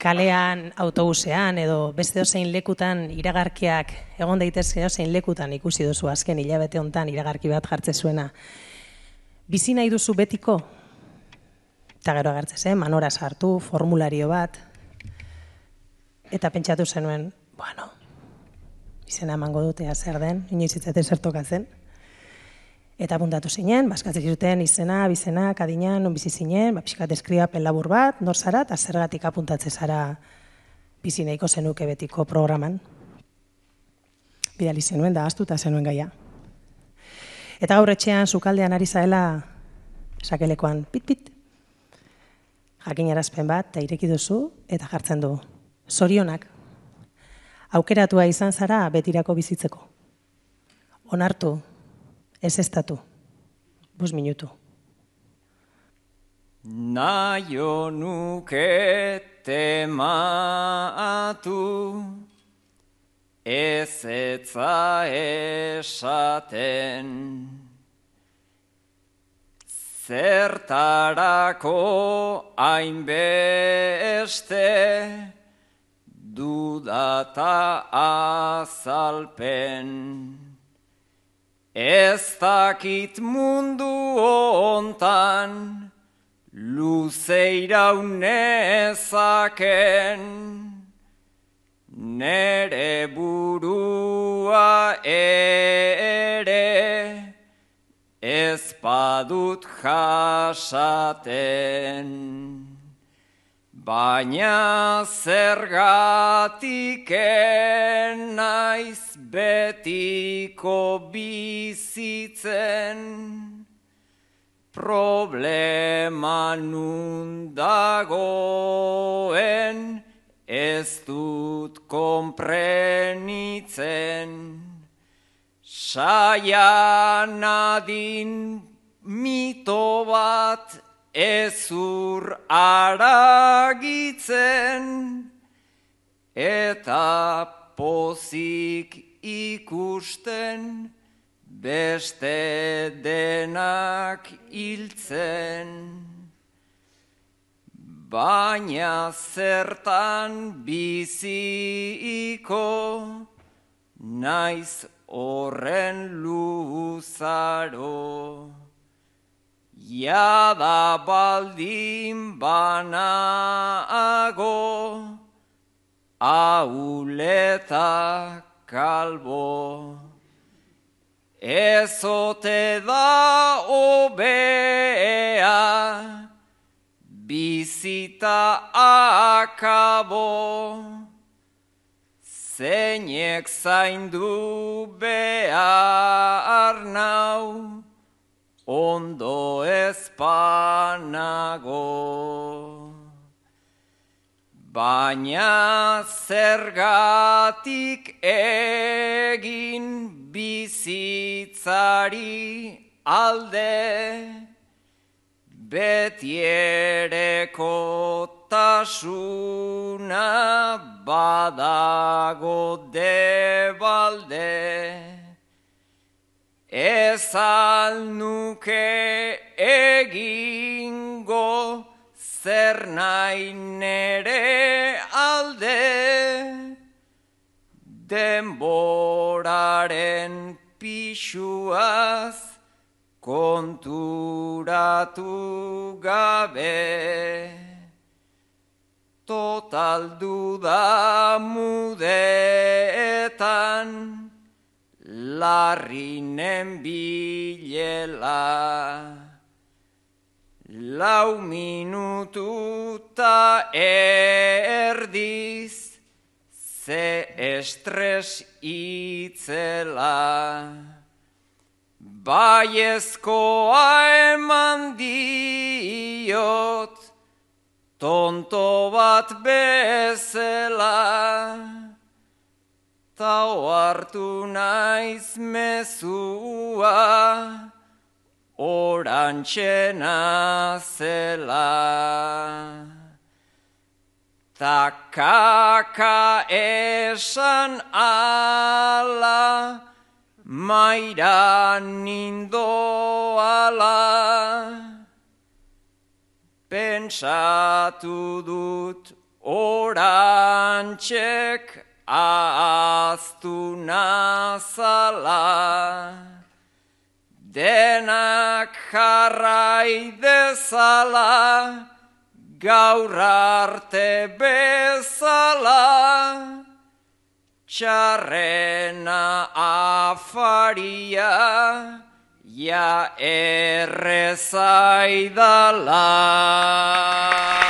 kalean, autobusean edo beste dozein lekutan iragarkiak egon daitezke dozein lekutan ikusi duzu azken hilabete hontan iragarki bat jartze zuena. Bizi nahi duzu betiko? Eta gero agertzez, manora sartu, formulario bat. Eta pentsatu zenuen, bueno, izena emango dute zer den, inoiz itzate zertokatzen. Eta apuntatu zinen, baskatzen zuten izena, bizena, adina, non bizi zinen, pixkat deskribapen labur bat, nor zara, eta zergatik apuntatze zara bizi nahiko zenuke betiko programan. Bidali zenuen, da ahaztuta zenuen gaia. Eta gaur etxean, sukaldean ari zaela, sakelekoan, pit-pit, jakinarazpen bat, eta ireki duzu, eta jartzen du. Zorionak, aukeratua izan zara betirako bizitzeko. Onartu, ez estatu, 5 minutu. Naio nuke tematu, ez etza esaten, zertarako hainbeste dudata azalpen. Ez dakit mundu hontan luzeirau nezaken, nere burua ere ez badut jasaten. Baina zergatik naiz betiko bizitzen, problema nun dagoen ez dut konprenitzen. Saia nadin mito bat ezur aragitzen, eta pozik ikusten beste denak hiltzen. Baina zertan biziko naiz horren luzaro. Jada baldin banago, ahuleta kalbo. Ezote da obea, bizita akabo. Zeinek zaindu behar nau, ondo ezpanago. Baina zergatik egin bizitzari alde, betiereko tasuna badago debalde. Ez al nuke egingo zer nahi nere alde, denboraren pixuaz konturatu gabe. Total duda mudeetan larrinen bilela. 4 minututa erdiz, ze estres itzela. Baiezkoa eman diot, tonto bat bezala. Ta ohartu naiz mezua, orantxena zela. Ta kaka esan ala, maira nindoala. Pentsatu dut orantxek ahaztu nazala, denak jarrai dezala, gaur arte bezala, txarrena afaria, ja errezaidala.